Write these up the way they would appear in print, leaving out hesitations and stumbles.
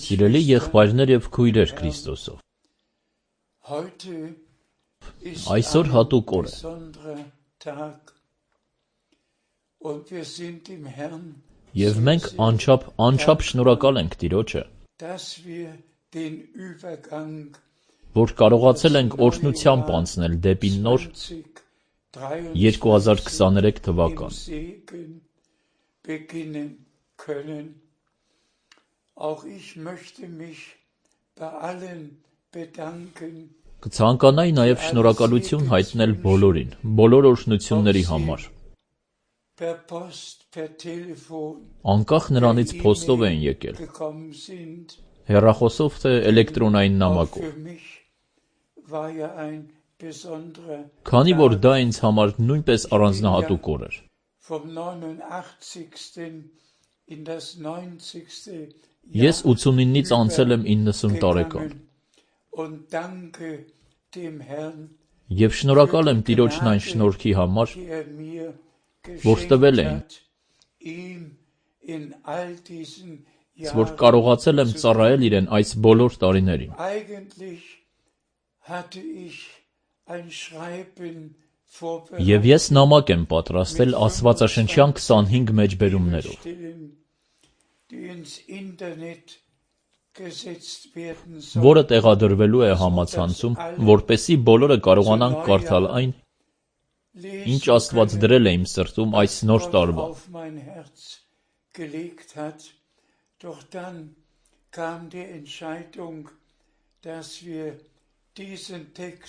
Սիրելի եղբայրներ և քույրեր Քրիստոսով, այսօր հատուկ օր է, և մենք անչափ շնորհակալ ենք Տիրոջը, որ կարողացել ենք օրհնությամբ անցնել դեպի նոր 2023 թվական։ Կցանկանայի նաև շնորհակալություն հայտնել բոլորին, բոլոր օրհնությունների համար։ Անկախ նրանից փոստով են եկել, հեռախոսով թե էլեկտրոնային նամակով։ Քանի որ դա ինձ համար նույնպես առանձնահատուկ օր էր։ Ես 89-ից անցել եմ 90 տարեկան։ Եվ շնորհակալ եմ Տիրոջն այն շնորհքի համար, որ տվել է ինձ, որ կարողացել եմ ծառայել Իրեն այս բոլոր տարիներին։ Եվ ես նամակ եմ պատրաստել աստվածաշնչյան 25 մեջբերումներով, որը տեղադրվելու է համացանցում, որպեսզի բոլորը կարողանան կարդալ այն, ինչ Աստված դրել է իմ սրտում այս նոր տարվա։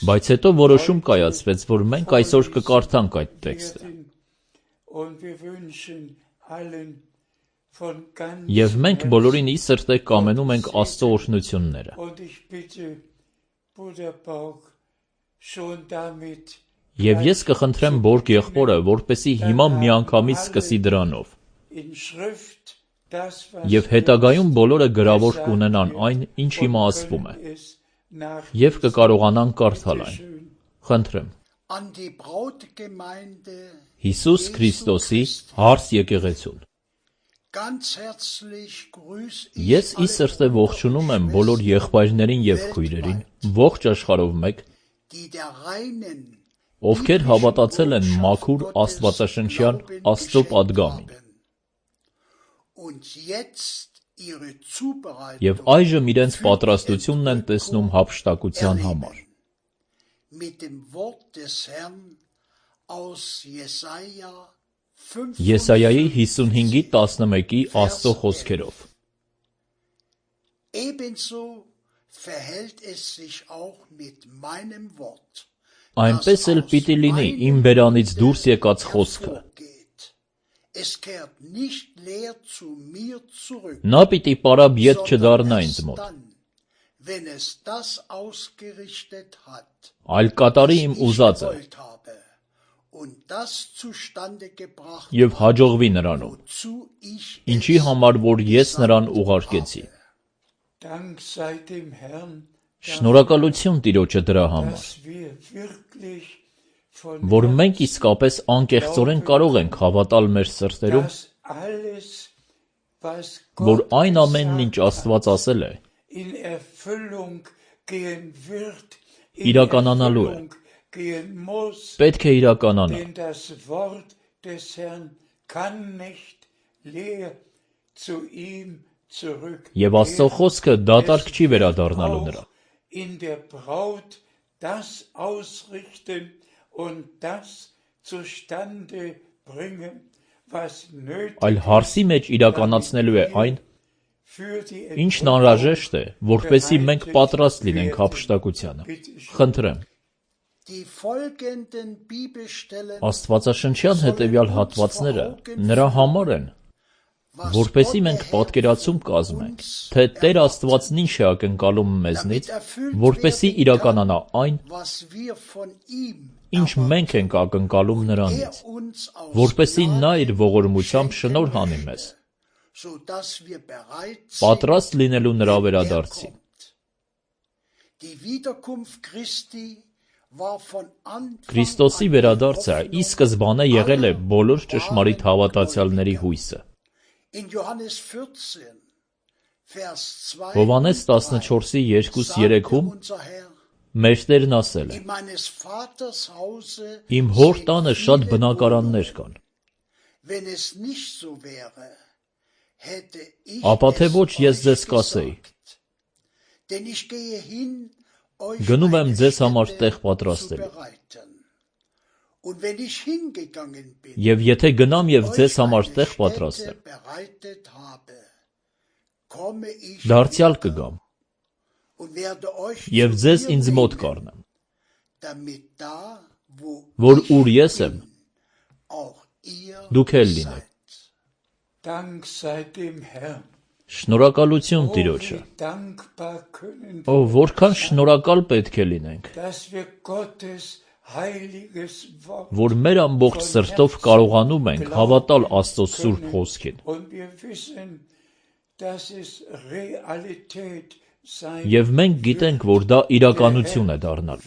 Բայց հետո որոշում կայացվեց, որ մենք այսօր կկարդանք այդ տեքստը։ Եվ մենք բոլորին ի սրտե կամենում ենք Աստծո օրհնությունները։ Եվ ես կխնդրեմ Բորգ եղբորը, որպեսզի հիմա միանգամից սկսի դրանով։ Եվ հետագայում բոլորը գրավոր կունենան այն, ինչ հիմա ասվում է, և կկարողանան կարդալ այն։ Խնդրեմ։ Հիսուս Քրիստոսի հարս եկեղեցուն։ Ես ի սրտե ողջունում եմ բոլոր եղբայրներին և քույրերին, ողջ աշխարհով մեկ, ովքեր հավատացել են մաքուր աստվածաշնչյան Աստծո պատգամին, և այժմ իրենց պատրաստությունն են տեսնում հափշտակության համար։ Եսայայի 55:11 Աստծո խոսքերով։ Այնպես էլ պիտի լինի իմ բերանից դուրս եկած խոսքը։ Նա պիտի պարապ ետ չդառնա ինձ մոտ, այլ կատարի իմ ուզածը և հաջողվի նրանում, ինչի համար որ ես նրան ուղարկեցի։ Շնորհակալություն Տիրոջը դրա համար, որ մենք իսկապես անկեղծորեն կարող ենք հավատալ մեր սրտերում, որ այն ամենն, ինչ Աստված ասել է, իրականանալու է, պետք է իրականանա։ Եվ Աստծո խոսքը դատարկ չի վերադառնալու նրան։ Այլ հարսի մեջ իրականացնելու է այն, ինչն անհրաժեշտ է, որպեսզի մենք պատրաստ լինենք հափշտակությանը։ Խնդրեմ։ Աստվածաշնչյան հետևյալ հատվածները նրա համար են, որպեսզի մենք պատկերացում կազմենք, թե Տեր Աստվածն ինչ է ակնկալում մեզնից, որպեսզի իրականանա այն, ինչ մենք ենք ակնկալում նրանից, որպեսզի նա իր ողորմությամբ շնորհ անի մեզ, պատրաստ լինելու նրա վերադարձին։ Քրիստոսի վերադարձը ի սկզբանե եղել է բոլոր ճշմարիտ հավատացյալների հույսը։ Հովհաննես 14:2-3-ում մեր Տերն ասել է. Իմ հոր տանը շատ բնակարաններ կան, ապա թե ոչ ես ձեզ կասեի, գնում եմ ձեզ համար տեղ պատրաստելու, և եթե գնամ և ձեզ համար տեղ պատրաստեմ, դարձյալ կգամ և ձեզ ինձ մոտ կառնեմ, որ ուր ես եմ, դուք էլ լինեք։ Շնորհակալություն Տիրոջը։ Որքան շնորհակալ պետք է լինենք, որ մեր ամբողջ սրտով կարողանում ենք հավատալ Աստծո Սուրբ Խոսքին, և մենք գիտենք, որ դա իրականություն է դառնալ։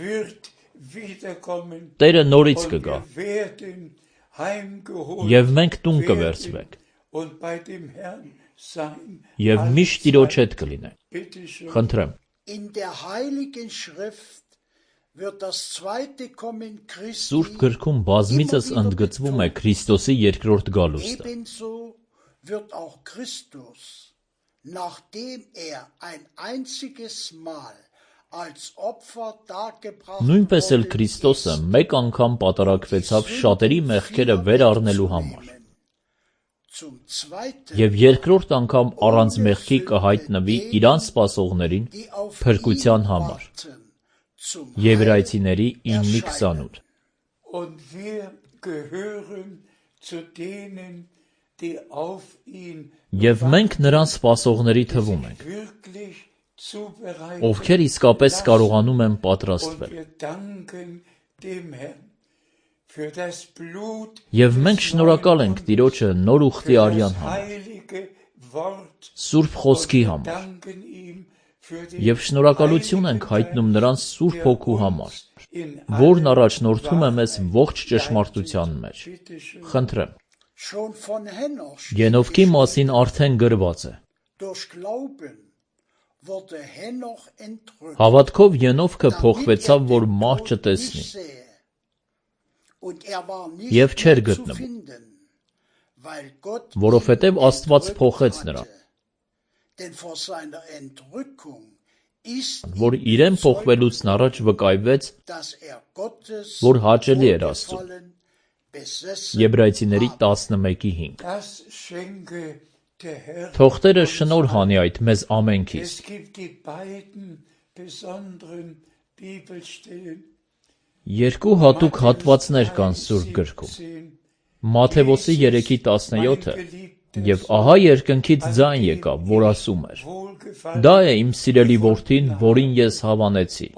Տերը նորից կգա, և մենք տուն կվերցվենք, և միշտ Տիրոջ հետ կլինենք։ Խնդրեմ։ Սուրբ գրքում բազմիցս ընդգծվում է Քրիստոսի երկրորդ գալուստը։ Նույնպես էլ Քրիստոսը մեկ անգամ պատարագվեցավ շատերի մեղքերը վեր առնելու համար, և երկրորդ անգամ առանց մեղքի կհայտնվի Իրան սպասողներին փրկության համար։ Եբրայեցիների 9:28։ Եվ մենք նրան սպասողների թվում ենք, ովքեր իսկապես կարողանում են պատրաստվել։ Եվ մենք շնորհակալ ենք Տիրոջը նոր ուխտի արյան համար, Սուրբ Խոսքի համար, և շնորհակալություն ենք հայտնում նրան Սուրբ Հոգու համար, որն առաջնորդում է մեզ ողջ ճշմարտության մեջ։ Խնդրեմ։ Ենովքի մասին արդեն գրված է. Հավատքով Ենովքը փոխվեցավ, որ մահ չտեսնի, և չէր գտնվում, որովհետև Աստված փոխեց նրան, որ իրեն փոխվելուց առաջ վկայվեց, որ հաճելի էր Աստծուն։ Եբրայեցիների 11:5։ Թող Տերը շնորհ անի այդ մեզ ամենքիս։ Երկու հատուկ հատվածներ կան Սուրբ գրքում. Մատթեոս 3:17-ը, և ահա երկնքից ձայն եկավ, որ ասում էր. «Դա է իմ սիրելի որդին, որին ես հավանեցի»,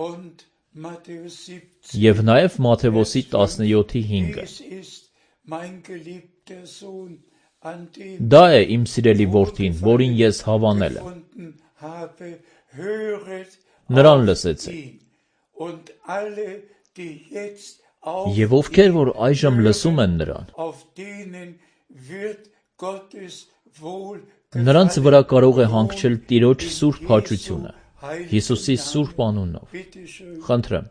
և նաև Մատթեոս 17:5-ը. «Դա է իմ սիրելի որդին, որին ես հավանել եմ, նրան լսեցեք»։ Եվ ովքեր որ այժմ լսում են նրան, նրանց վրա կարող է հանգչել Տիրոջ սուրբ հաճությունը, Հիսուսի սուրբ անունով։ Խնդրեմ։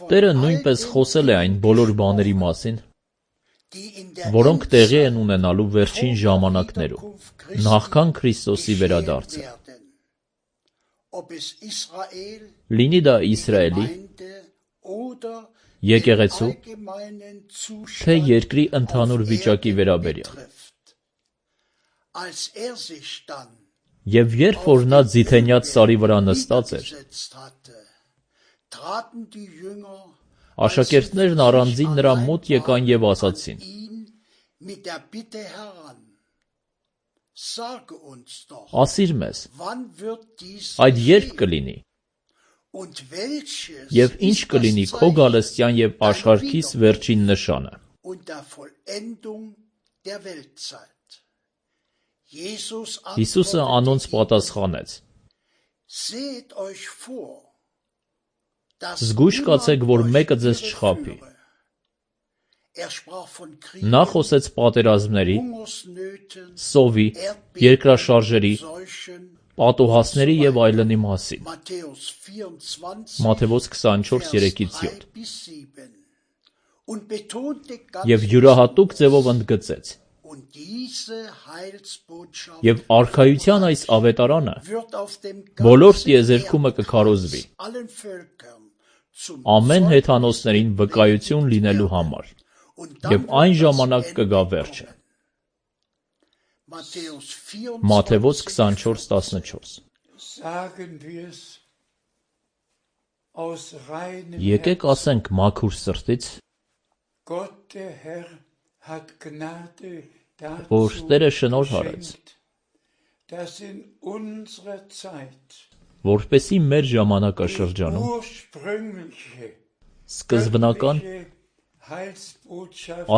Տերը նույնպես խոսել է այն բոլոր բաների մասին, որոնք տեղի են ունենալու վերջին ժամանակներում, նախքան Քրիստոսի վերադարձը։ Լինի դա Իսրայելի, եկեղեցու, թե երկրի ընդհանուր վիճակի վերաբերյալ։ Եվ երբ որ նա ձիթենյաց սարի վրա նստած էր, աշակերտներն առանձին նրա մոտ եկան և ասացին. «Ասիր մեզ, այդ երբ կլինի, և ինչ կլինի քո գալստյան և աշխարհքիս վերջին նշանը»։ Հիսուսը անոնց պատասխանեց. «Զգույշ կացեք, որ մեկը ձեզ չխաբի, Նա խոսեց պատերազմների, սովի, երկրաշարժերի, պատուհասների և այլնի մասին։ Մատթեոս 24:3-7 Եվ յուրահատուկ ձևով ընդգծեց. Եվ արքայության այս ավետարանը բոլոր տիեզերքումը կքարոզվի, ամեն հեթանոսներին վկայություն լինելու համար, և այն ժամանակ կգա վերջը։ Մատթեոս 24:14 Եկեք ասենք մաքուր սրտից, որ Տերը շնորհ արեց, որպեսզի մեր ժամանակաշրջանում սկզբնական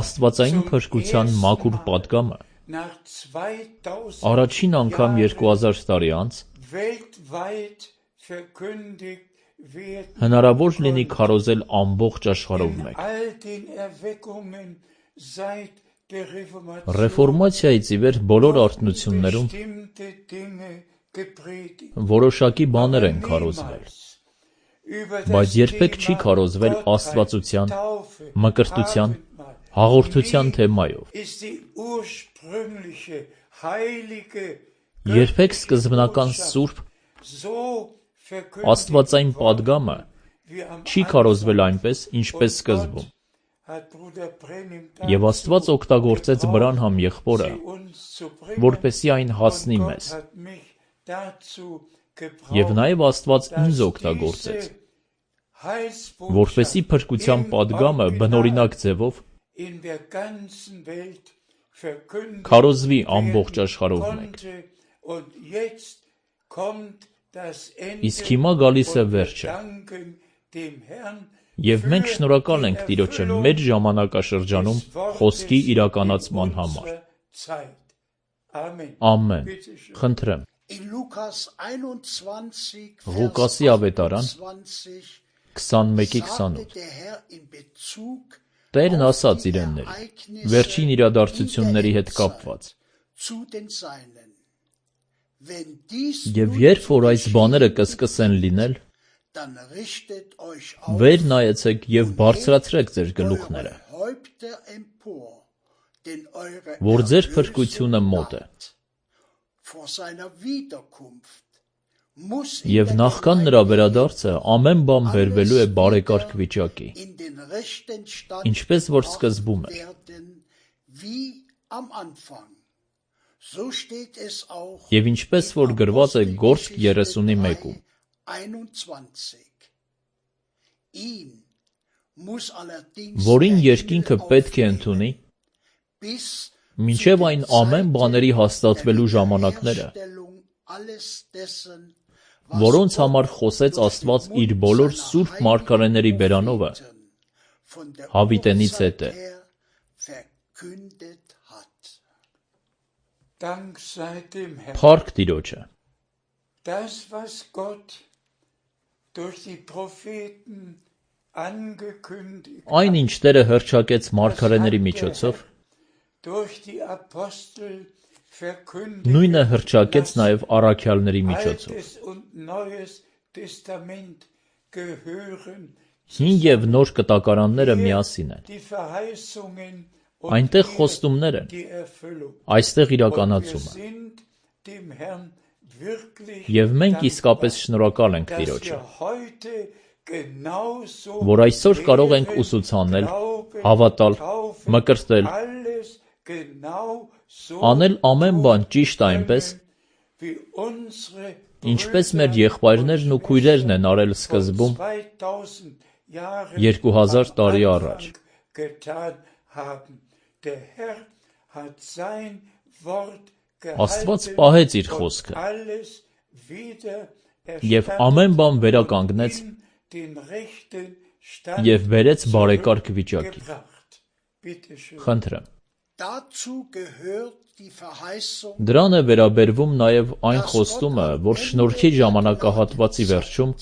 աստվածային փրկության մաքուր պատգամը առաջին անգամ 2000 տարի անց հնարավոր լինի քարոզել ամբողջ աշխարհով մեկ։ Ռեֆորմացիայից ի վեր բոլոր արթնություններում որոշակի բաներ են քարոզվել, բայց երբեք չի քարոզվել աստվածության, մկրտության, հաղորդության թեմայով։ Երբեք սկզբնական սուրբ աստվածային պատգամը չի քարոզվել այնպես, ինչպես սկզբում։ Եվ Աստված օգտագործեց Բրանհամ եղբորը, որպեսզի այն հասնի մեզ։ Եվ նաև Աստված ինձ օգտագործեց, որպեսզի փրկության պատգամը բնօրինակ ձևով քարոզվի ամբողջ աշխարհով մեկ։ Իսկ հիմա գալիս է վերջը։ Եվ մենք շնորհակալ ենք Տիրոջը մեր ժամանակաշրջանում խոսքի իրականացման համար։ Ամեն։ Խնդրեմ։ Ղուկասի ավետարան 21:28 Տերն ասաց իրենների, վերջին իրադարձությունների հետ կապված. Եվ երբ որ այս բաները կսկսեն լինել, վեր նայեցեք և բարձրացրեք ձեր գլուխները, որ ձեր փրկությունը մոտ է։ Եվ նախքան նրա վերադարձը ամեն բան բերվելու է բարեկարգ վիճակի, ինչպես որ սկզբում էր։ Եվ ինչպես որ գրված է Գործք 31-ում. որին երկինքը պետք է ընդունի, մինչև այն ամեն բաների հաստատվելու ժամանակները, որոնց համար խոսեց Աստված իր բոլոր սուրբ մարգարեների բերանովը, հավիտենից հետը։ Փառք Տիրոջը։ Այն, ինչ Տերը հռչակեց մարգարեների միջոցով, նույնը հռչակեց նաև առաքյալների միջոցով։ Հին և նոր կտակարանները միասին են։ Այնտեղ խոստումներ են, այստեղ իրականացումը։ Եվ մենք իսկապես շնորհակալ ենք Տիրոջը, որ այսօր կարող ենք ուսուցանել, հավատալ, մկրտել, անել ամեն բան ճիշտ այնպես, ինչպես մեր եղբայրներն ու քույրերն են արել սկզբում 2000 տարի առաջ։ Աստված պահեց իր խոսքը և ամեն բան վերականգնեց և բերեց բարեկարգ վիճակի։ Խնդրեմ։ Դրան է վերաբերվում նաև այն խոստումը, որ շնորհքի ժամանակահատվածի վերջում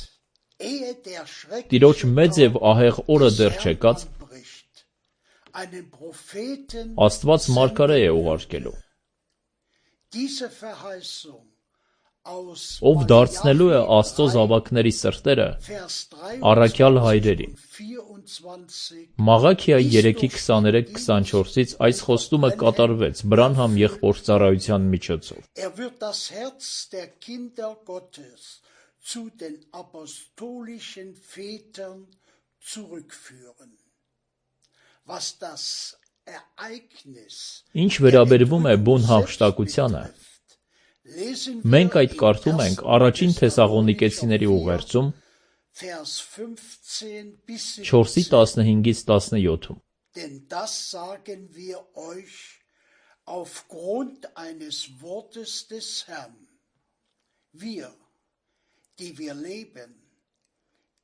Տիրոջ մեծ և ահեղ օրը դեռ չեկած, Աստված մարգարե է ուղարկելու, ով դարձնելու է Աստծո զավակների սրտերը առաքյալ հայրերի։ Մաղաքիա 3:23-24-ից այս խոստումը կատարվեց Բրանհամ եղբոր ծառայության միջոցով։ Ինչ վերաբերվում է բուն հափշտակությանը, մենք այդ կարդում ենք առաջին Թեսաղոնիկեցիների ուղերձում 4:15-17-ում. Denn das sagen wir euch aufgrund eines Wortes des Herrn. Wir, die wir leben,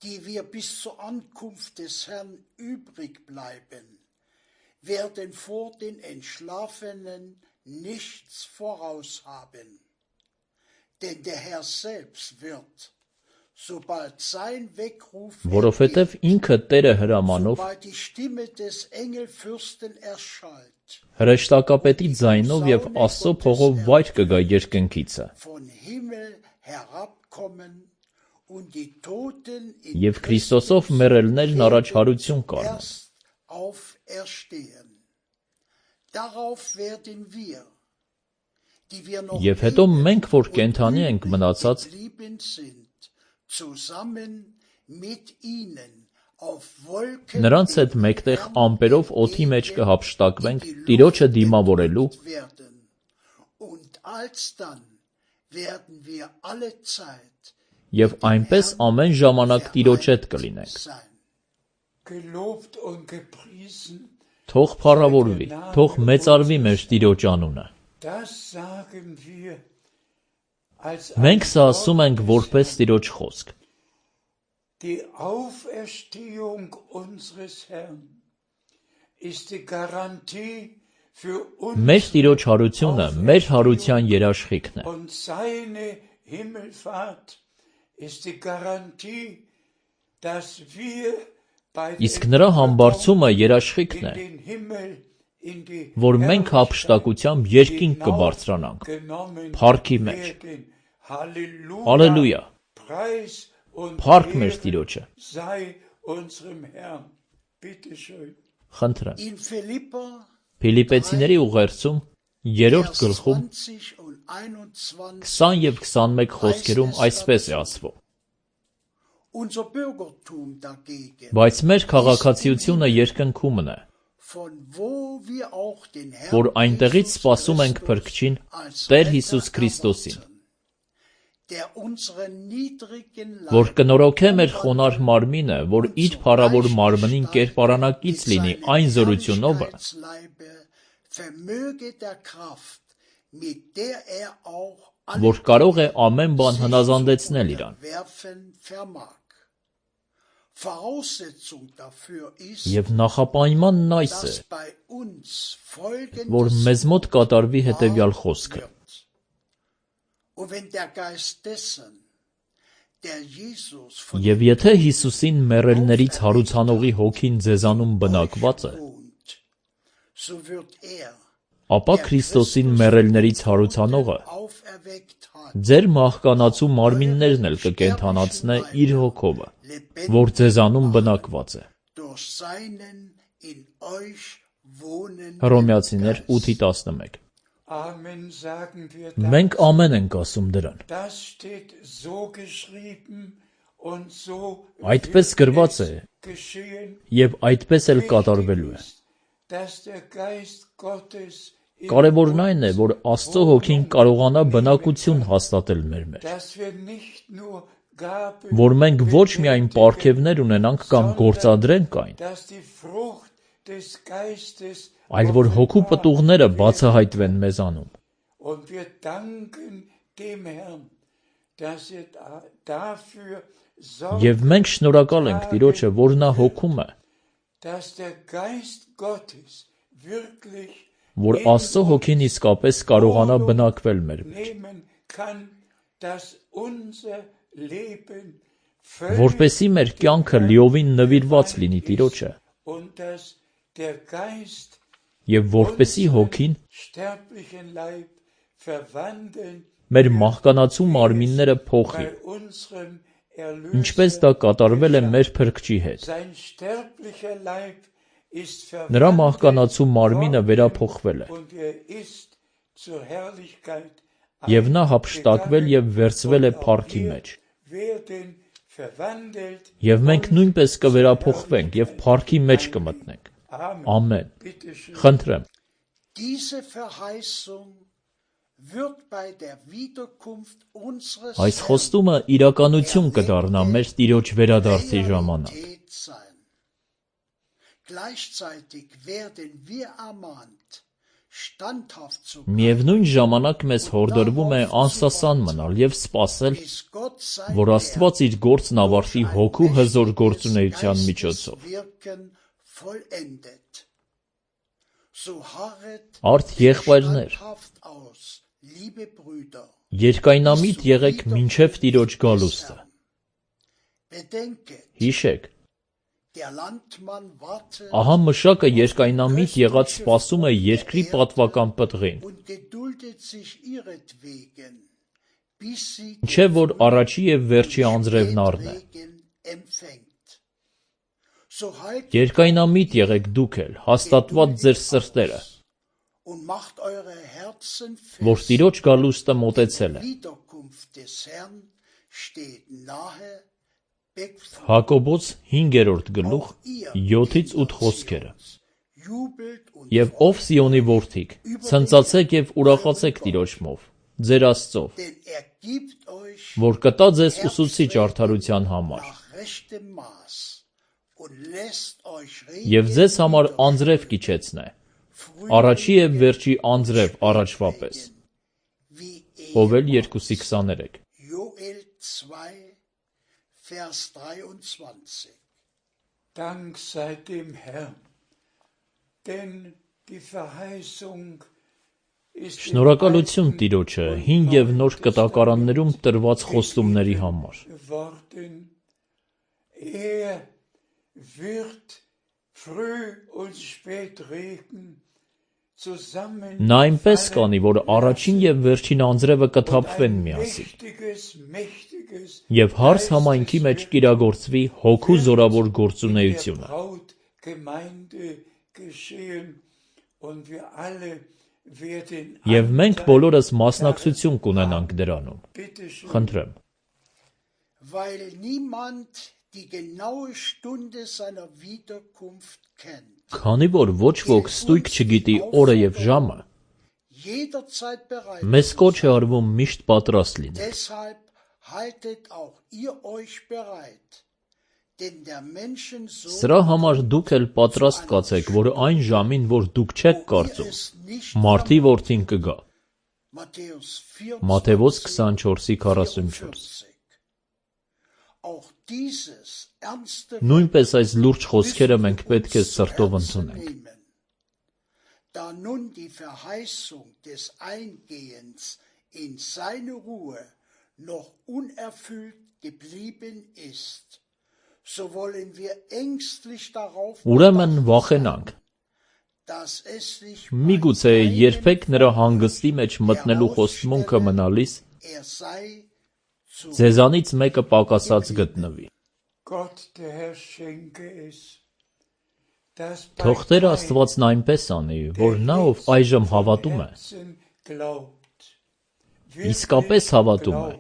die wir bis zur Ankunft des Herrn übrig bleiben, werden vor den Entschlafenen nichts voraus haben. Denn der Herr selbst wird, sobald sein Weckruf որովհետև ինքը Տերը հրամանով հրեշտակապետի ձայնով և Աստծո փողով վայր կգա երկնքիցը, և Քրիստոսով մեռելներն առաջհարություն կառնեն։ Եվ հետո մենք, որ կենդանի ենք մնացած, նրանց հետ մեկտեղ ամպերով օդի մեջ կհափշտակվենք Տիրոջը դիմավորելու, և այնպես ամեն ժամանակ Տիրոջ հետ կլինենք։ Թող փառավորվի, թող մեծարվի մեր Տիրոջ անունը։ Մենք սա ասում ենք որպես Տիրոջ խոսք։ Մեր Տիրոջ հարությունը մեր հարության երաշխիքն է։ Իսկ նրա համբարձումը երաշխիքն է, որ մենք հափշտակությամբ երկինք կբարձրանանք, փառքի մեջ։ Ալելույա, փառք մեր Տիրոջը։ Խնդրեմ։ Փիլիպպեցիների ուղերձում 3-րդ գլխում 20 և 21 խոսքերում այսպես է ասվում. Բայց մեր քաղաքացիությունը երկնքումն է, որ այնտեղից սպասում ենք Փրկչին, Տեր Հիսուս Քրիստոսին, որ կնորոգե մեր խոնարհ մարմինը, որ իր փառավոր մարմնին կերպարանակից լինի այն զորությունով, որ կարող է ամեն բան հնազանդեցնել իրան։ Եվ նախապայմանն այս է, որ մեզ մոտ կատարվի հետևյալ խոսքը. Եվ եթե Հիսուսին մեռելներից հարուցանողի հոգին ձեզանում բնակված է, ապա Քրիստոսին մեռելներից հարուցանողը ձեր մահկանացու մարմիններն էլ կկենդանացնե իր հոգով, որ ձեզանում բնակված է։ Հռոմեացիներ 8:11։ Մենք ամեն ենք ասում դրան։ Այդպես գրված է և այդպես էլ կատարվելու է։ Կարևորն այն է, որ Աստծո հոգին կարողանա բնակություն հաստատել մեր մեջ, որ մենք ոչ միայն պարգևներ ունենանք կամ գործադրենք այն, այլ որ հոգու պտուղները բացահայտվեն մեզանում։ Եվ մենք շնորհակալ ենք Տիրոջը, որ նա հոգում է, որ Աստծո հոգին իսկապես կարողանա բնակվել մեր մեջ, որպեսզի մեր կյանքը լիովին նվիրված լինի Տիրոջը, der Geist Եվ որպեսի հոգին sterblichen Leib verwandeln մեր մահկանացու մարմինները փոխի, bei unserem ինչպես Erlöser. դա կատարվել է մեր Փրկչի հետ։ Sein sterblicher Leib ist Նրա verwandelt մահկանացու մարմինը վերափոխվել է, und ist zur Herrlichkeit եւ նա հափշտակվել եւ վերցվել է փառքի մեջ։ werden verwandelt. Եվ մենք նույնպես կվերափոխվենք եւ փառքի մեջ կմտնենք։ Amen. Ամեն։ Bitte schön. Խնդրեմ, Diese Verheißung wird bei der Wiederkunft unseres այս խոստումը իրականություն կդառնա մեր Տիրոջ վերադարձի ժամանակ։ Realität sein. Gleichzeitig werden wir ermahnt, standhaft zu Միևնույն ժամանակ մեզ հորդորվում է անսասան մնալ եւ սպասել, bis Gott sein որ Աստված իր գործն ավարտի հոգու հզոր գործունեության միջոցով։ Wirken vollendet. So harret Արդ եղբայրներ, standhaft aus, liebe Brüder. երկայնամիտ եղեք մինչև Տիրոջ գալուստը։ Bedenket, Հիշեք, der Landmann wartet ահա մշակը երկայնամիտ եղած սպասում է երկրի պատվական պտղին, und geduldet sich ihretwegen, bis sie չէ որ առաջի եւ վերջի անձրևն առնե։ Segen empfängt. So haltet Երկայնամիտ եղեք դուք էլ, հաստատված ձեր սրտերը, und macht eure Herzen որ fest. Տիրոջ գալուստը մոտեցել է։ Wiederkunft des Herrn steht nahe. Beckfrucht Հակոբոս 5-րդ գլուխ 7-ից 8 խոսքերը։ jubelt und Եվ ով Սիոնի որդիք, ցնծացեք եւ ուրախացեք Տիրոջմով, ձեր Աստծով, denn gibt euch որ կտա ձեզ ուսուցիչ արդարության համար, nach rechtem Maß und lässt euch եւ ձեզ համար անձրև կիչեցնե, առաջի եւ վերջի անձրև առաջվա պես։ wie Հովել 2:23։ Joel 2, Vers 23. Dank sei dem Herrn, denn die Verheißung ist Շնորհակալություն Տիրոջը հին եւ նոր կտակարաններում տրված խոստումների համար։ geworden. Wird früh und spät Regen zusammen Նա այնպես կանի, որ առաջին եւ վերջին անձրևը կթափվեն միասին, mächtiges եւ հարս համայնքի մեջ կիրագործվի հոգու զորավոր գործունեությունը։ Gemeinde geschehen und wir alle werden Եվ մենք բոլորս մասնակցություն կունենանք դրանում։ bitte schön, Խնդրեմ, weil niemand die genaue Stunde seiner Wiederkunft kennt. քանի որ ոչ ոք ստույգ չգիտի օրը եւ ժամը, Jederzeit bereit. մեզ կոչ է արվում միշտ պատրաստ լինել։ Deshalb haltet auch ihr euch bereit. Denn der Menschensohn Սրա համար դուք էլ պատրաստ կացեք, որ այն ժամին, որ դուք չեք կարծում, es nicht Մարդի որդին կգա։ Matthäus Մատթեոս 24, 24:44։ Auch dieses ernste Նույնպես այս լուրջ խոսքերը մենք պետք է սրտով ընդունենք։ nehmen. Da nun die Verheißung des Eingehens in seine Ruhe noch unerfüllt geblieben ist, so wollen wir ängstlich darauf Ուրեմն վախենանք, dass es sich միգուցե երբեք նրա հանգստի մեջ մտնելու խոստմունքը մնալիս er sei zu ձեզանից մեկը պակասած գտնվի։ Gott der Herr schenke es, dass Թող Տեր Աստվածն այնպես անի, որ նա ով այժմ հավատում է, glaubt, իսկապես հավատում է,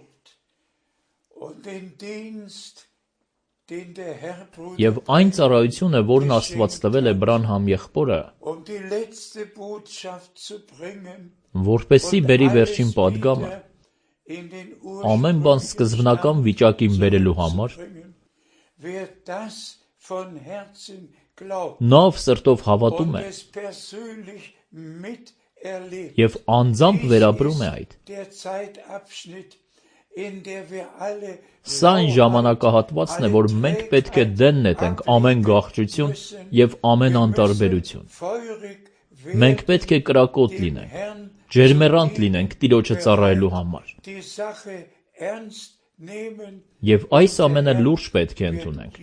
und den Dienst, den der Herr եւ այն ծառայությունը, որն Աստված տվել է Բրանհամ եղբորը, die letzte Botschaft zu bringen, որպեսզի բերի վերջին պատգամը, in den ամեն բան սկզբնական վիճակին բերելու համար, wer das von Herzen glaubt նա ով սրտով հավատում է es persönlich miterlebt. եւ անձամբ վերապրում է այդ։ Der Zeitabschnitt, in der wir alle Սա այն ժամանակահատվածն է, որ մենք պետք է դեն նետենք ամեն գաղջություն եւ ամեն անտարբերություն։ feurig Մենք պետք է կրակոտ լինենք, ջերմեռանդ լինենք Տիրոջը ծառայելու համար։ die Sache ernst Եվ այս ամենը լուրջ պետք է ընդունենք,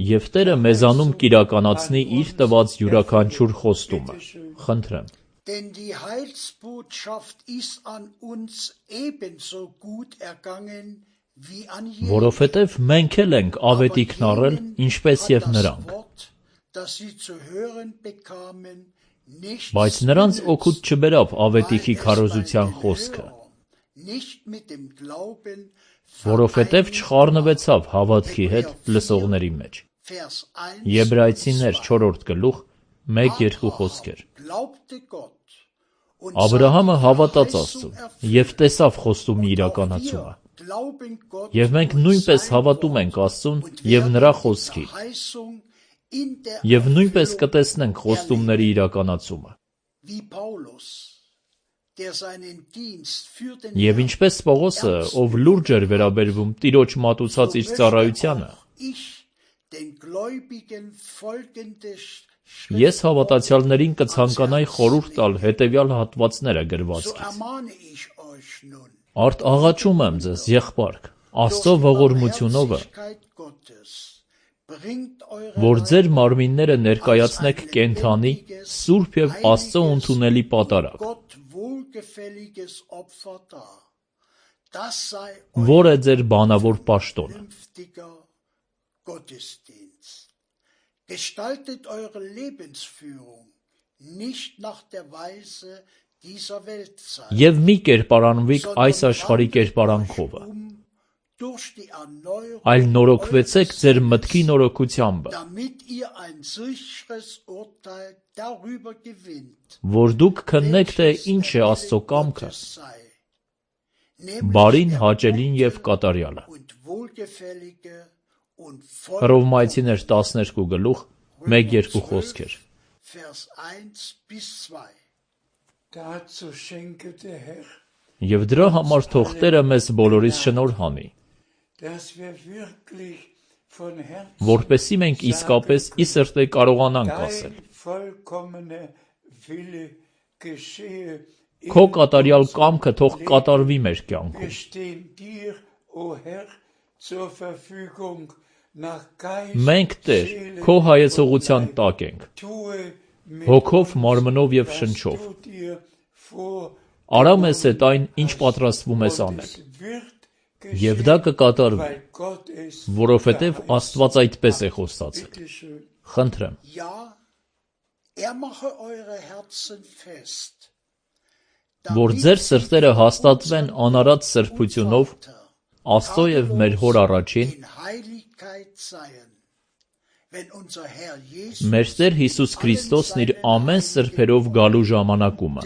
և Տերը մեզանում կիրականացնի իր տված յուրաքանչյուր խոստումը, խնդրեմ։ Denn die Heilsbotschaft ist an uns ebenso gut ergangen wie an jedem. Որովհետև մենք էլ ենք ավետիքն առել, ինչպես և նրանք։ Բայց նրանց օգուտ չբերավ ավետիքի քարոզության խոսքը, որովհետև չխառնվեցավ հավատքի հետ լսողների մեջ։ Եբրայեցիներ 4-րդ գլուխ 1-2 խոսքեր։ Աբրահամը հավատաց Աստծուն և տեսավ խոստումի իրականացումը։ Եվ մենք նույնպես հավատում ենք Աստծուն և նրա խոսքին, և նույնպես կտեսնենք խոստումների իրականացումը։ Եվ ինչպես Պողոսը, ով լուրջ էր վերաբերվում Տիրոջ մատուցած իր ծառայությանը, ես հավատացյալներին կցանկանայի խորհուրդ տալ հետևյալ հատվածները գրվածքից. Արդ աղաչում եմ ձեզ, եղբայրք, Աստծո ողորմությունովը, որ ձեր մարմինները ներկայացնեք կենդանի, սուրբ և Աստծո ընդունելի պատարագ, որ է ձեր բանավոր պաշտոնը։ Gestaltet eure Lebensführung nicht nach der Weise dieser Weltzeit. Եվ մի կերպարանվիկ այս աշխարհի կերպարանքովը, այլ նորոգվեցեք ձեր մտքի նորոգությամբ, որ դուք քննեք, թե ինչ է Աստծո կամքը, բարին, հաճելին և կատարյալը։ Հռոմայեցիներ 12 գլուխ 1-2 խոսքեր։ Եվ դրա համար թող Տերը մեզ բոլորիս շնորհ անի, որպեսզի մենք իսկապես ի սրտե կարողանանք ասել. Քո կատարյալ կամքը թող կատարվի մեր կյանքում։ Մենք, Տեր, քո հայեցողության տակ ենք, հոգով, մարմնով և շնչով։ Արա մեզ հետ այն, ինչ պատրաստվում ես անել, և դա կկատարվի, որովհետև Աստված այդպես է խոստացել։ Խնդրեմ։ Որ ձեր սրտերը հաստատվեն անարատ սրբությունով Աստծո և մեր Հոր առաջին, մեր Տեր Հիսուս Քրիստոսն իր ամեն սրբերով գալու ժամանակումը։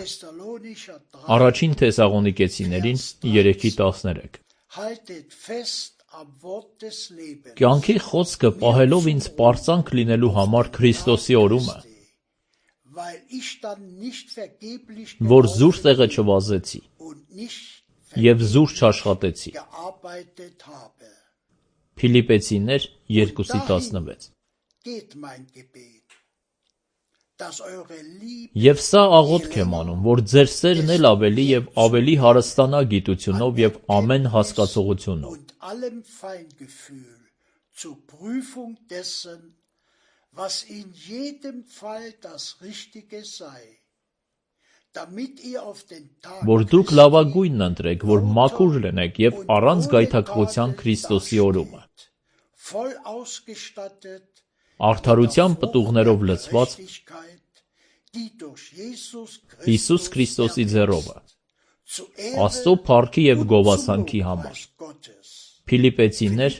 Առաջին Թեսաղոնիկեցիներին 3:13։ Կյանքի խոսքը պահելով ինձ պարծանք լինելու համար Քրիստոսի օրումը, որ զուր տեղը չվազեցի և զուր չաշխատեցի։ Փիլիպպեցիներ 2:16։ Եվ սա աղոթք եմ անում, որ ձեր սերն էլ ավելի և ավելի հարստանա գիտությունով և ամեն հասկացողությունով, որ դուք լավագույնն ընտրեք, որ մաքուր լինեք և առանց գայթակղության Քրիստոսի օրումը, արդարության պտուղներով լցված Հիսուս Քրիստոսի ձեռովը, Աստծո փառքի և գովասանքի համար։ Փիլիպպեցիներ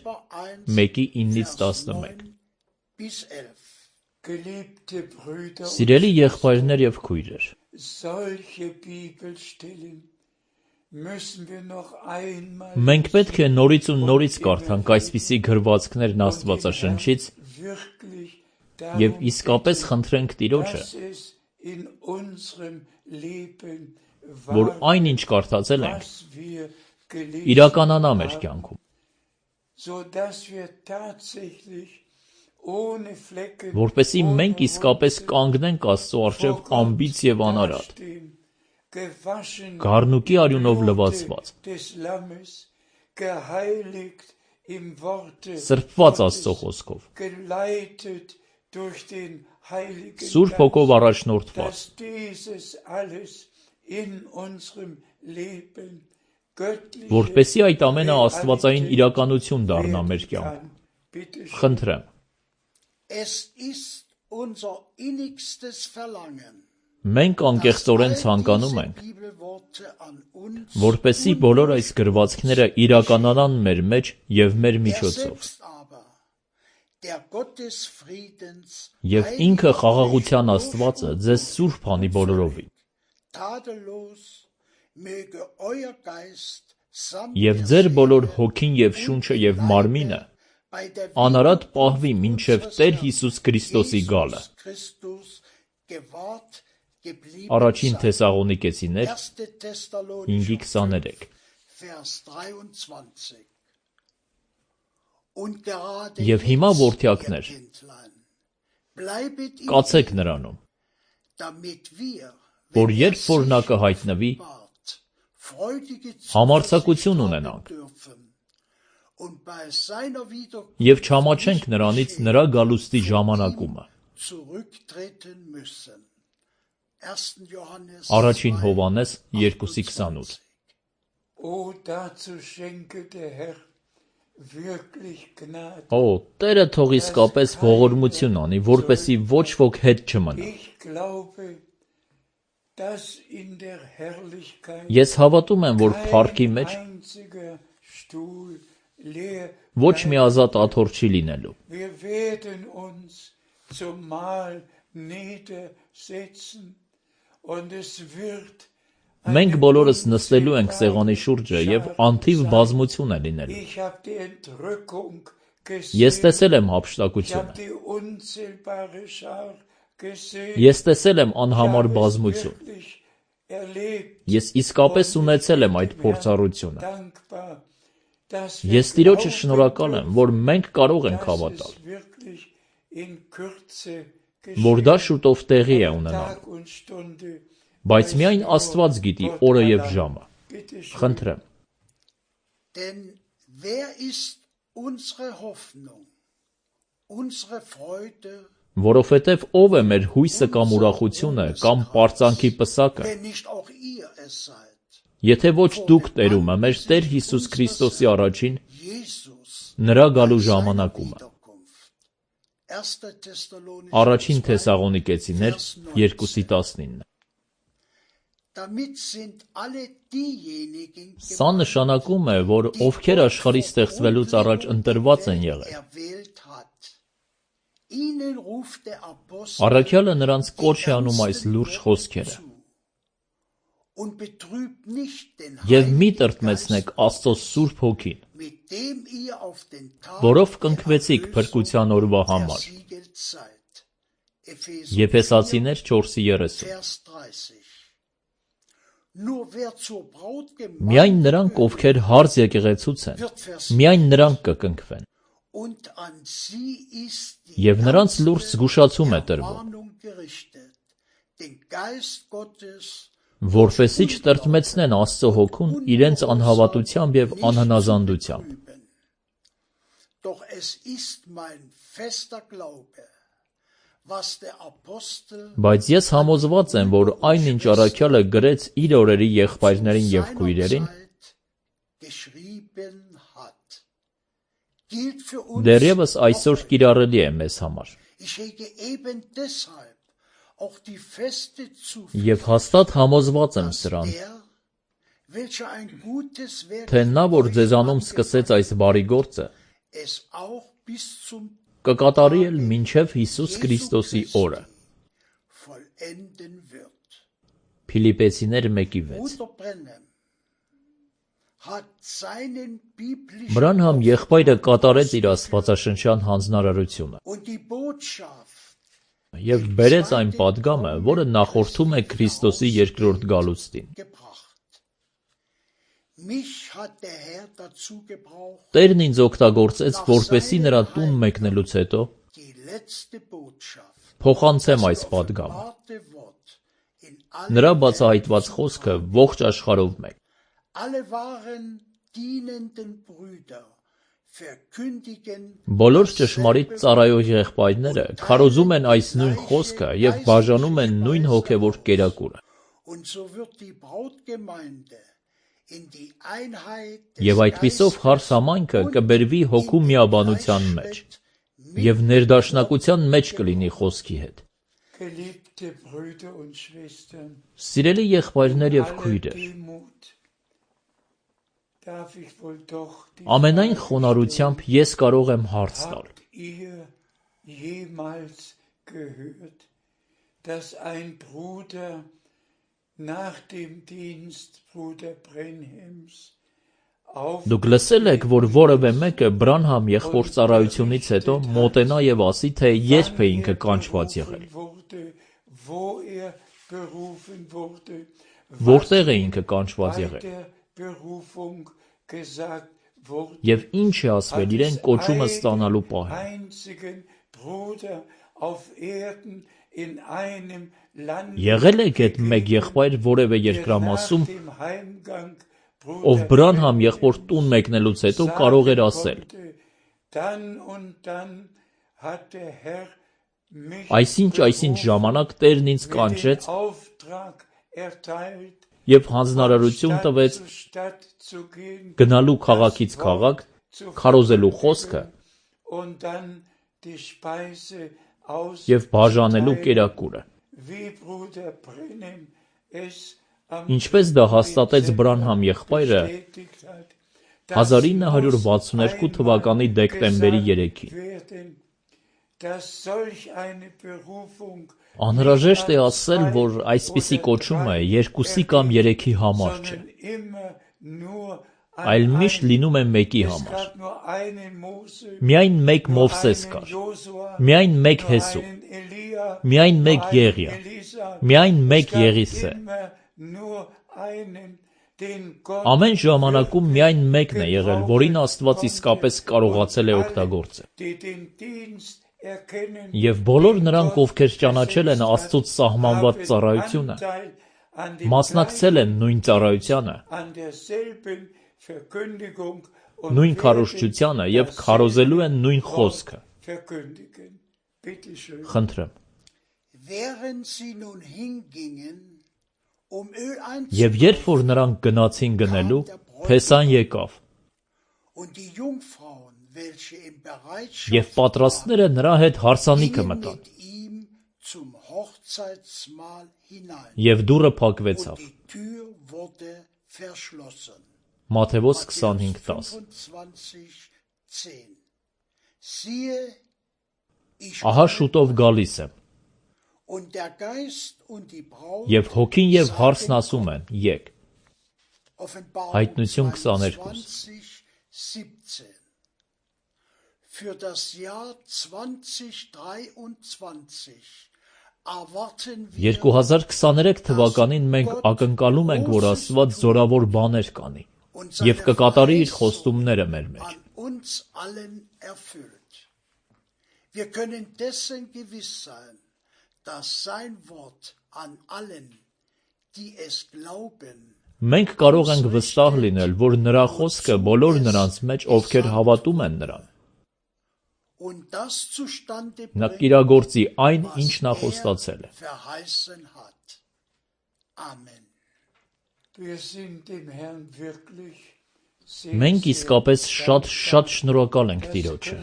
1:9-11։ Սիրելի եղբայրներ և քույրեր, մենք պետք է նորից ու նորից կարդանք այսպիսի գրվածքներն Աստվածաշնչից և իսկապես խնդրենք Տիրոջը, որ այն, ինչ կարդացել ենք, իրականանա մեր կյանքում, որպեսզի մենք իսկապես կանգնենք Աստծո առջև անբիծ և անարատ, գառնուկի արյունով լվացված, geheiligt im Worte սրբված Աստծո խոսքով, geleitet durch den Heiligen Սուրբ Հոգով առաջնորդված, dass dieses alles in unserem Leben göttliche որպեսզի այդ ամենը աստվածային իրականություն դառնա մեր կյանքում։ Bitte schön. Խնդրեմ, Es ist unser innigstes Verlangen, մենք անկեղծորեն dass all ցանկանում diese ենք, Bibelworte an uns որպեսզի բոլոր այս գրվածքները իրականանան մեր մեջ եւ մեր er միջոցով, selbst aber, der Gott des Friedens, եւ ինքը խաղաղության Աստվածը ձեզ սուրբ անի բոլորովին, tadellos, möge euer Geist samt եւ der ձեր բոլոր Seele հոգին եւ շունչը եւ մարմինը bei der անարատ պահվի Wiederkunft մինչև unseres Տեր Herrn Հիսուս Քրիստոսի գալը։ Jesus Christus gewahrt geblieben Առաջին sein. Թեսաղոնիկեցիներ 1. Thessalonicher 5:23 Vers 23. Und gerade Եվ հիմա, jetzt, որդյակներ, ihr Kindlein, bleibet in կացեք ihm, նրանում, damit wir, որ wenn երբ որ նա կհայտնվի, offenbart, freudige համարձակություն Zuversicht ունենանք haben dürfen und bei seiner եւ Wiederkunft չամաչենք nicht նրանից beschämt նրա գալուստի von ժամանակումը։ ihm zurücktreten müssen. 1. Johannes Առաջին 2, Հովհաննես 2:28 Oh, dazu schenke der Herr wirklich Gnade. Օ, Տերը թող իսկապես ողորմություն անի, որպեսի ոչ ոք հետ չմնա։ Ich glaube, dass in der Herrlichkeit Ես հավատում եմ, որ փառքի kein մեջ einziger Stuhl leer ոչ մի ազատ աթոռ չի լինելու։ Wir werden uns zum Mahl niedersetzen und es wird Մենք բոլորս նստելու ենք սեղանի շուրջը եւ անթիվ բազմություն է լինելու։ Ich habe die Entrückung Ես gesehen. տեսել եմ Ich հափշտակությունը։ habe die unzählbare Schar gesehen. Ես տեսել եմ Ich անհամար habe es բազմություն։ wirklich erlebt. Ես իսկապես Und ունեցել եմ ich այդ bin փորձառությունը։ dankbar, dass wir Ես Տիրոջը glauben շնորհակալ եմ, որ մենք կարող ենք dass հավատալ, es wirklich in Kürze որ դա geschehen. շուտով տեղի է Aber ունենալու։ Tag und Stunde Բայց weiß միայն nur Աստված գիտի Gott օրը եւ allein. ժամը։ Bitte schön. Խնդրեմ, Denn wer ist unsere Hoffnung, unsere Freude, որովհետեւ ով է մեր հույսը կամ ուրախությունը կամ պարծանքի պսակը, wenn nicht auch ihr es seid? եթե ոչ դուք տերումը մեր Տեր Հիսուս Քրիստոսի առաջին Jesus, նրա գալու seiner ժամանակումը։ Wiederkunft. 1. Thessalonicher Առաջին 2, Թեսաղոնիկեցիներ 2:19 Damit sind alle diejenigen Սա նշանակում է, որ ովքեր աշխարհի ստեղծվելուց առաջ ընտրված են եղել։ erwählt hat. Ihnen ruft der Apostel Առաքյալը նրանց կոչ է անում այս լուրջ խոսքերը։ zu. Und betrübt nicht den Եվ մի Heiligen տրտմեցնեք Geist, Աստծո Սուրբ Հոգին, mit dem ihr auf den Tag որով der կնքվեցիք Erlösung փրկության օրվա համար։ versiegelt seid. Epheser Եփեսացիներ 4:30 Vers 30. Nur wer zur Braut Միայն Gemeinde նրանք, gehört, ովքեր հարց եկեղեցուց են, wird Vers միայն նրանք կկնքվեն։ und an sie ist Եվ նրանց լուրջ զգուշացում է տրվում, Ermahnung gerichtet, den Geist Gottes որպեսզի չտրտմեցնեն Աստծո Հոգուն իրենց անհավատությամբ եւ անհնազանդությամբ։ betrüben. Doch es ist mein fester Glaube, was der Apostel Բայց ես համոզված եմ, որ այն ինչ առաքյալը գրեց իր օրերի եղբայրներին եւ քույրերին, seinerzeit geschrieben hat, gilt für uns դեռևս այսօր noch heute. կիրառելի է մեզ համար։ Ich hege eben deshalb auch die feste Եվ Zuversicht, հաստատ համոզված եմ dass սրան, der, welcher ein gutes Werk թե նա, որ in euch ձեզանում սկսեց angefangen այս բարի գործը, es auch bis zum կկատարի էլ մինչև Հիսուս Քրիստոսի օրը։ vollenden wird. Փիլիպեցիներ 1:6 Bruder Brenhem hat seinen biblischen Բրանհամ եղբայրը կատարեց իր աստվածաշնչյան հանձնարարությունը und die Botschaft եւ բերեց այն պատգամը, որը նախորդում է Քրիստոսի երկրորդ գալուստին։ gebracht. Mich hat der Herr dazu gebraucht, Տերն ինձ օգտագործեց, որպեսզի նրա տուն մեկնելուց հետո die letzte Botschaft, փոխանցեմ այս պատգամը։ wahre Wort in Նրա allen բացահայտված խոսքը ողջ աշխարհով մեկ։ Alle waren dienenden Brüder verkündigen Բոլոր ճշմարիտ ծառայող եղբայրները քարոզում են այս նույն խոսքը և բաժանում են նույն հոգևոր կերակուրը։ und so wird die Brautgemeinde in die Einheit Եվ այդպիսով հարս համայնքը կբերվի հոգու միաբանության մեջ և ներդաշնակության մեջ կլինի խոսքի հետ։ Geliebte Brüder und Schwestern, Սիրելի եղբայրներ և քույրեր, darf ich wohl doch die ամենայն խոնարհությամբ ես կարող եմ հարց տալ. Habt ihr jemals gehört, dass ein Bruder nach dem Dienst Bruder Brenhems Դուք լսել եք, որ որևէ մեկը Բրանհամ եղբործառայությունից հետո մոտենա և ասի, թե երբ է ինքը կանչված եղել, որտեղ է ինքը կանչված եղել, և ինչ է ասվել իրեն կոչումը ստանալու պահին։ Եղել եք այդ մեկ եղբայր որևէ երկրամասում, ով Բրանհամ եղբոր տուն մեկնելուց հետո կարող էր ասել. Այսինչ ժամանակ Տերն ինձ կանչեց և հանձնարարություն տվեց գնալու քաղաքից քաղաք, քարոզելու խոսքը և բաժանելու կերակուրը։ Ինչպես դա հաստատեց Բրանհամ եղբայրը 1962 թվականի դեկտեմբերի 3-ին։ Անհրաժեշտ է ասել, որ այսպիսի կոչումը երկուսի կամ երեքի համար չէ, այլ միշտ լինում է մեկի համար։ Միայն մեկ Մովսես կար, միայն մեկ Հեսու, միայն մեկ Եղիա, միայն մեկ Եղիսե։ Ամեն ժամանակում միայն մեկն է եղել, որին Աստված իսկապես կարողացել է օգտագործել։ Եվ բոլոր նրանք, ովքեր ճանաչել են Աստծուց սահմանված ծառայությունը, մասնակցել են նույն ծառայությանը, նույն քարոզչությանը և քարոզելու են նույն խոսքը։ Խնդրեմ։ Եվ երբ որ նրանք գնացին գնելու, Փեսան եկավ, և պատրաստները նրա հետ հարսանիքը մտան, և դուռը փակվեցավ։ Մատթեոս 25:10 Ահա շուտով գալիս եմ, և հոգին և հարսն ասում են, եկ։ Հայտնություն 22 2023 թվականին մենք ակնկալում ենք, որ Աստված զորավոր բաներ կանի և կկատարի իր խոստումները մեր մեջ։ Wir können dessen gewiss sein, dass sein Wort an allen, die es glauben, Մենք կարող ենք վստահ լինել, որ նրա խոսքը բոլոր նրանց մեջ, ովքեր հավատում են նրան, նա կիրագործի այն, ինչ նա խոստացել է։ Մենք իսկապես շատ շնորհակալ ենք Տիրոջը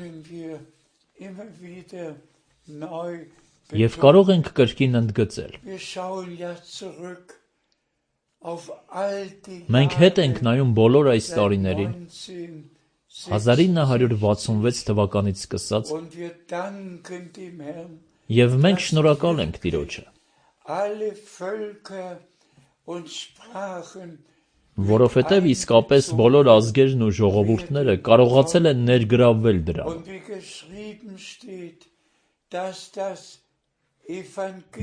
և կարող ենք կրկին ընդգծել. Մենք հետ ենք նայում բոլոր այս տարիներին, 1966 թվականից սկսած, և մենք շնորհակալ ենք Տիրոջը, որովհետև իսկապես բոլոր ազգերն ու ժողովուրդները կարողացել են ներգրավվել դրանում։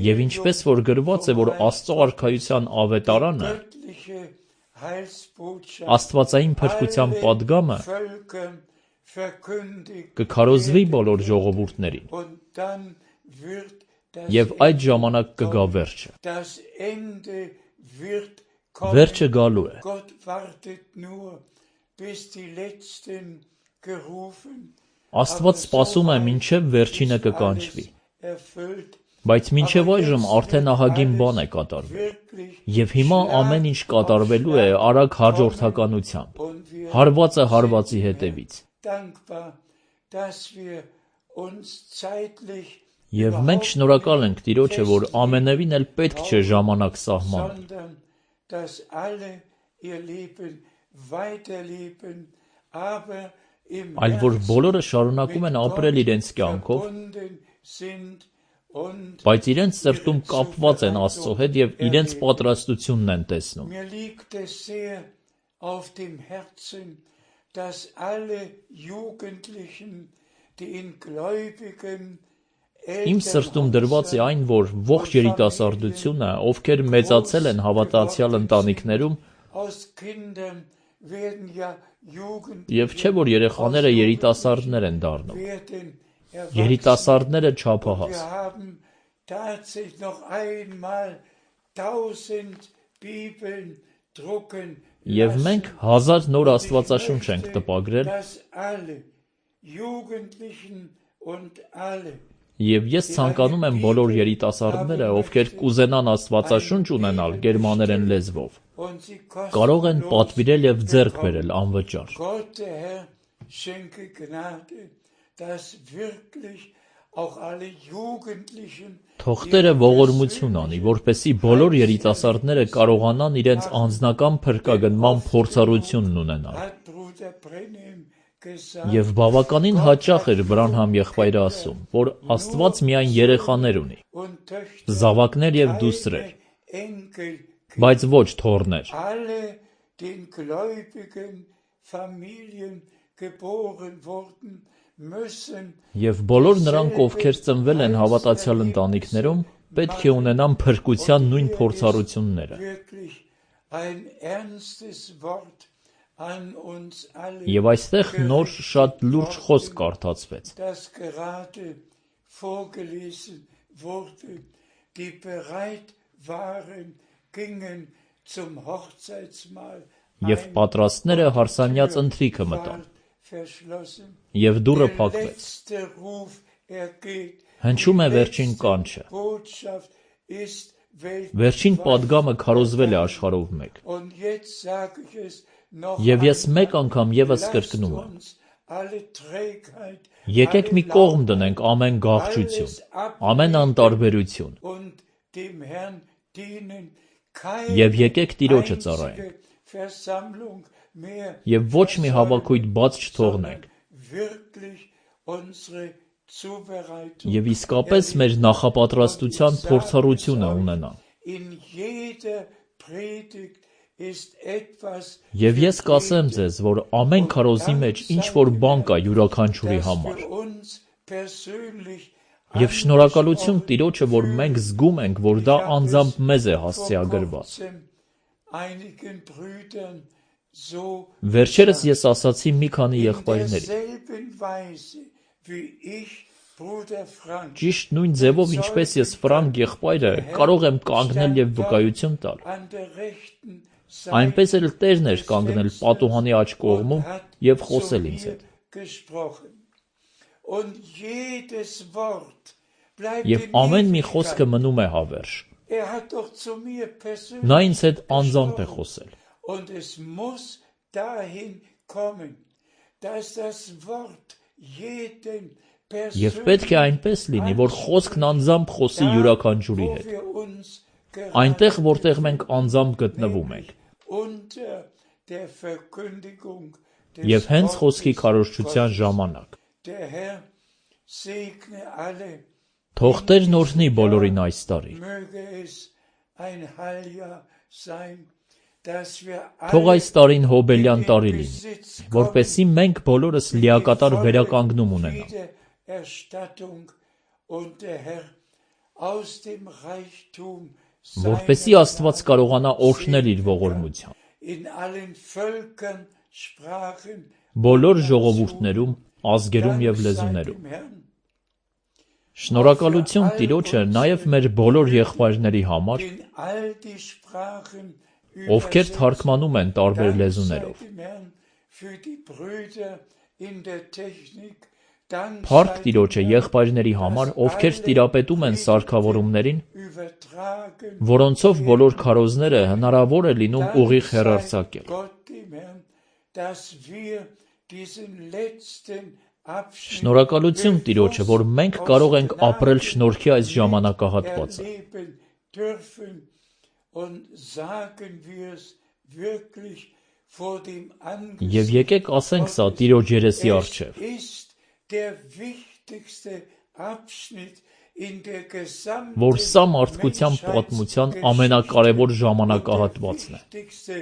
Եվ ինչպես որ գրված է, որ Աստծո արքայության ավետարանը, աստվածային փրկության պատգամը կքարոզվի բոլոր ժողովուրդներին, և այդ ժամանակ կգա վերջը։ Վերջը գալու է։ bis die Letzten gerufen, Աստված սպասում է մինչև վերջինը կկանչվի, erfüllt, բայց մինչև այժմ արդեն ահագին բան է կատարվել, և հիմա ամեն ինչ կատարվելու է արագ հաջորդականությամբ, հարվածը հարվածի հետևից, dankbar, dass wir uns zeitlich և մենք շնորհակալ ենք Տիրոջը, որ ամենևին էլ պետք չէ ժամանակ սահմանել, sondern dass alle ihr Leben weiterleben, aber im այլ որ Herzen բոլորը շարունակում են mit ապրել Gott իրենց կյանքով, verbunden sind und բայց իրենց սրտում կապված են Աստծո հետ և իրենց պատրաստությունն են տեսնում. mir liegt es sehr auf dem Herzen, dass alle Jugendlichen, die in gläubigen Իմ սրտում դրված է այն, որ ողջ երիտասարդությունը, ովքեր մեծացել են հավատացյալ ընտանիքներում, aus Kindern werden ja Jugend և չէ, որ երեխաները երիտասարդներ են դառնում, werden երիտասարդները und չափահաս, wir haben tatsächlich noch einmal 1000 Bibeln drucken և մենք 1000 նոր աստվածաշունչ ենք տպագրել, dass alle Jugendlichen und alle և ես ցանկանում եմ բոլոր երիտասարդները, ովքեր կուզենան աստվածաշունչ ունենալ գերմաներեն լեզվով, und sie կարող են kostenlos պատվիրել և ձեռք բերել անվճար. Gott, der Herr, schenke Gnade, dass wirklich auch alle Jugendlichen Թող Տերը ողորմություն անի, որպեսզի բոլոր երիտասարդները կարողանան իրենց անձնական փրկագնման փորձառությունն ունենալ. hat Bruder Brenhem gesagt, Եվ բավականին հաճախ էր Բրանհամ եղբայրը ասում, որ Աստված միայն երեխաներ ունի, und Töchter, զավակներ և դուստրեր, Enkel, բայց ոչ թոռներ. alle den gläubigen Familien geboren wurden, müssen Եվ բոլոր նրանք, ովքեր ծնվել են հավատացյալ ընտանիքներում, պետք է ունենան փրկության նույն փորձառությունները. wirklich ein ernstes Wort an uns alle, Եվ այստեղ նոր շատ լուրջ խոսք կարդացվեց, das gerade vorgelesen wurde, die bereit waren, gingen zum Hochzeitsmahl, և պատրաստները հարսանյաց ընթրիքը մտան, verschlossen. և դուռը Der փակվեց. letzte Ruf ergeht. Հնչում է վերջին կանչը. Botschaft ist Վերջին weltweit. պատգամը քարոզվել է աշխարհով մեկ. Und jetzt sage ich es noch Եվ ես einmal. մեկ անգամ ևս Lasst կրկնում եմ. uns alle Trägheit, Եկեք մի կողմ դնենք ամեն գաղջություն, ամեն անտարբերություն, und dem Herrn dienen. Եվ եկեք Տիրոջը ծառայենք. einzige Versammlung mehr, Եվ ոչ մի հավաքույթ բաց չթողնենք. wirklich unsere Zubereitung. Եվ իսկապես մեր նախապատրաստության փորձառությունը ունենանք. In jeder Predigt ist etwas, Եվ ես կասեմ ձեզ, որ ամեն քարոզի մեջ ինչ-որ բան կա յուրաքանչյուրի das համար. für uns persönlich Եվ շնորհակալություն Տիրոջը, որ մենք զգում ենք, որ դա անձամբ մեզ է հասցեագրված. einigen Brüdern so Վերջերս ես ասացի մի քանի in եղբայրների. derselben Weise wie ich, Bruder Frank, Ճիշտ նույն ձևով, ինչպես ես Ֆրանկ եղբայրը կարող եմ կանգնել և վկայություն տալ, an der rechten այնպես էլ Տերն էր կանգնել պատուհանի աջ կողմում և խոսել ինձ հետ. gesprochen. Und jedes Wort bleibt Եվ in ամեն մի Ewigkeit. խոսքը մնում է հավերժ. Hat doch zu mir persönlich Նա ինձ հետ անձամբ է խոսել. Und es muss dahin kommen, dass das Wort jeden Եվ պետք է այնպես լինի, որ խոսքն անձամբ խոսի յուրաքանչյուրի wo հետ. wir uns Այնտեղ, որտեղ մենք անձամբ գտնվում ենք. unter der Verkündigung des Եվ հենց խոսքի Wortes քարոզչության Gottes. ժամանակ. Der Herr segne alle, Թող Տերն օրհնի բոլորին այս տարի. möge es ein Heiljahr sein, dass wir Թող alle այս տարին հոբելյան in տարի den լինի, Besitz որպեսզի մենք բոլորս լիակատար վերականգնում ունենանք. Wiedererstattung und der Herr aus dem Reichtum Որպեսզի Աստված կարողանա օրհնել իր ողորմությամբ. in allen Völkern, Sprachen, Բոլոր ժողովուրդներում, ազգերում և լեզուներում. Շնորհակալություն Տիրոջը նաև մեր բոլոր եղբայրների համար, in all die Sprachen ովքեր թարգմանում են տարբեր լեզուներով. für die Brüder in der Technik. Dank Փառք sei Տիրոջը dem եղբայրների Herrn, համար, dass ովքեր alle տիրապետում են սարքավորումներին, übertragen որոնցով բոլոր քարոզները հնարավոր է լինում ուղիղ Dank sei հեռարձակել։ Gott dem Herrn, dass wir diesen letzten Abschnitt Շնորհակալություն Տիրոջը, որ մենք կարող ենք ապրել շնորհքի այս ժամանակահատվածը։ erleben dürfen und sagen wir es wirklich vor dem Եվ եկեք ասենք սա Տիրոջ երեսի առջև։ Es ist der wichtigste Abschnitt in der gesamten Որ սա մարդկության պատմության ամենակարևոր ժամանակահատվածն է։ wichtigste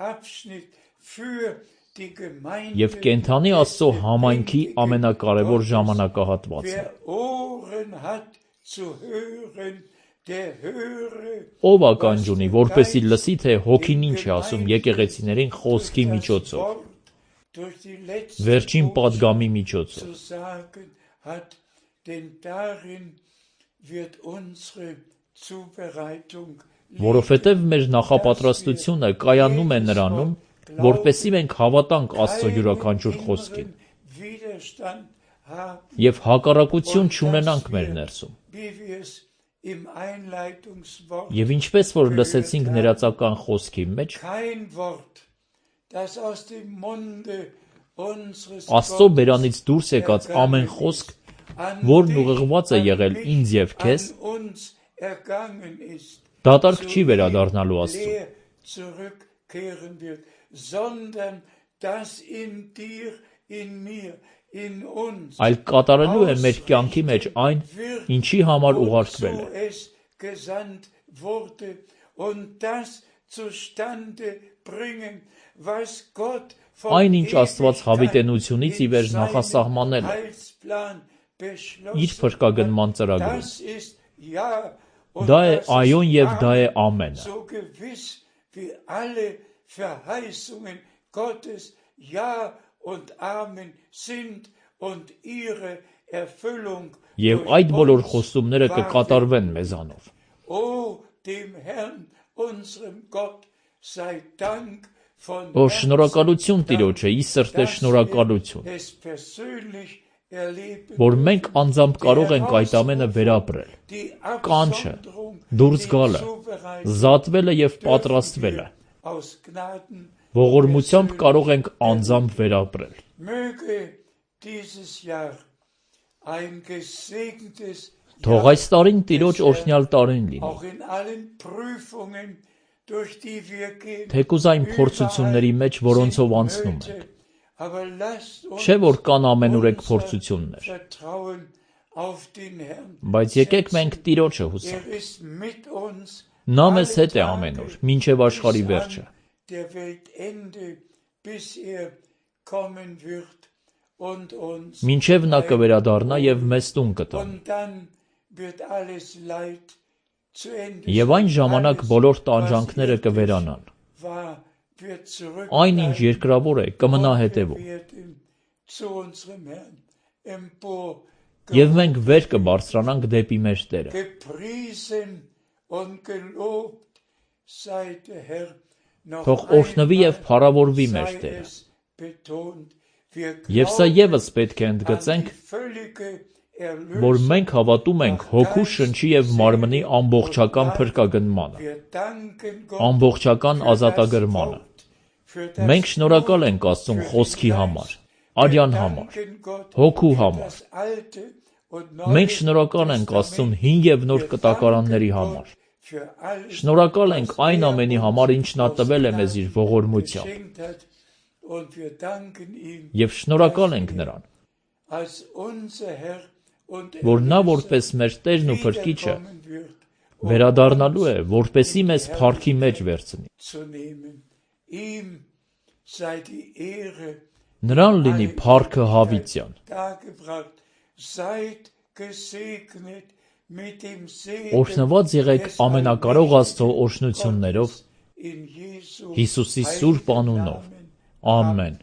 Abschnitt für die Gemeinde. Եվ կենթանի Աստծո համայնքի ամենակարևոր ժամանակահատվածն է։ Wer Ohren hat zu hören, der höre. Ով ականջ ունի, որպեսզի լսի, թե հոգին ինչ է ասում եկեղեցիներին խոսքի միջոցով, Durch die letzte վերջին պատգամի միջոցով։ zu sagen hat, denn darin wird unsere Zubereitung Որովհետև մեր նախապատրաստությունը կայանում է նրանում, որպեսզի մենք հավատանք Աստծո յուրաքանչյուր խոսքին Widerstand haben, եւ հակառակություն չունենանք մեր ներսում։ wie wir es im Einleitungswort Եվ ինչպես որ լսեցինք ներածական խոսքի մեջ, kein Wort, das aus dem Munde unseres Աստծո բերանից դուրս եկած ամեն խոսք, որն ուղղված է եղել ինձ եւ քեզ, an uns ergangen ist, դատարկ չի վերադառնալու Աստծուն, leer zurückkehren wird, sondern das in dir, in mir, in uns այլ կատարելու է մեր կյանքի մեջ այն, ինչի համար ուղարկվել է։ wozu es gesandt wurde und das zustande bringen, was Gott von Այն, ինչ Աստված հավիտենությունից ի վեր նախասահմանել է Heilsplan իր beschlossen. փրկագնման ծրագրում։ Das ist ja und Դա է das ist այոն եւ դա է Amen. ամենը։ So gewiss wie alle Verheißungen Gottes ja und Amen sind und ihre Erfüllung Եվ durch այդ բոլոր uns խոստումները wartet. կկատարվեն մեզանով։ O dem Herrn, unserem Gott, sei Dank von Ո շնորհակալություն Տիրոջը, ի սրտե dass շնորհակալություն, wir es persönlich erleben որ մենք անձամբ կարող ենք այդ ամենը վերապրել։ die Կանչը, Absonderung, դուրս die գալը, Zubereitung զատվելը եւ պատրաստվելը, aus Gnaden ողորմությամբ կարող ենք անձամբ վերապրել։ möge dieses Jahr ein gesegnetes Թող այս տարին Տիրոջ օրհնյալ տարին լինի։ auch in allen Prüfungen, durch die wir gehen, Թեկուզ այն փորձությունների մեջ, որոնցով անցնում ենք։ aber lasst uns Չէ՞ որ կան ամենուրեք փորձություններ, vertrauen auf den Herrn. բայց եկեք մենք Տիրոջը հուսանք։ ist mit uns Նա մեզ հետ է ամեն օր, մինչև աշխարհի վերջը։ der Weltende, bis kommen wird und uns Մինչև նա կվերադառնա եւ մեզ տուն կտա։ und dann wird alles Leid zu Ende Եվ այն ժամանակ բոլոր տանջանքները կվերանան։ war, wird zurück Այն ինչ երկրավոր է, կմնա հետևում։ werden zu unserem Herrn empor Եվ մենք վեր կբարձրանանք դեպի մեր Տերը։ gepriesen und gelobt sei der Herr. Noch Թող օրհնվի եւ փառավորվի մեր sei Տերը։ es betont, wir Եվ սա եւս պետք է ընդգծենք, an die völlige որ Erlösung. մենք հավատում ենք հոգու, շնչի եւ մարմնի ամբողջական փրկագնմանը, Wir danken Gott ամբողջական für das ազատագրմանը։ Wort, für das Մենք շնորհակալ Wort, ենք Աստծուն für den խոսքի Geist. համար, Wir արյան համար, danken Gott հոգու für համար։ das Alte und Neue Մենք շնորհակալ ենք Աստծուն հին եւ նոր Wir կտակարանների danken համար։ Gott für alles, Շնորհակալ ենք was այն er ամենի uns համար, ինչ նա aus տվել է մեզ իր Gnaden ողորմությամբ, geschenkt hat. Und wir danken ihm, եւ շնորհակալ ենք նրան, als unser Herr und որ նա Erlöser որպես մեր Տերն ու Փրկիչը wiederkommen wird, վերադառնալու է, որպեսի մեզ փառքի մեջ վերցնի։ zu nehmen. Ihm sei die Ehre Նրան լինի փառքը հավիտյան։ dargebracht. Seid gesegnet mit dem Segen Օրհնված եղեք des ամենակարող Աստծո allmächtigen օրհնություններով, Gottes in Jesu Հիսուսի սուրբ անունով։ Namen. Ամեն։